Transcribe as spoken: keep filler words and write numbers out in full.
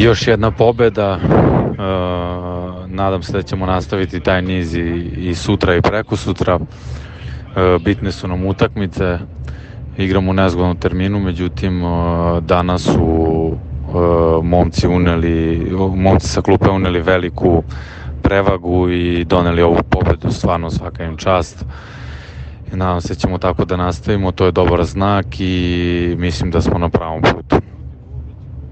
još jedna pobeda. Uh, nadam se da ćemo nastaviti taj niz i, i sutra i preko sutra. Uh, bitne su nam utakmice, igramo u nezgodnom terminu, međutim uh, danas su uh, momci uneli, momci sa klupe uneli veliku prevagu i doneli ovu pobedu, stvarno svaka im čast. Nadam se da ćemo tako da nastavimo, to je dobar znak i mislim da smo na pravom putu.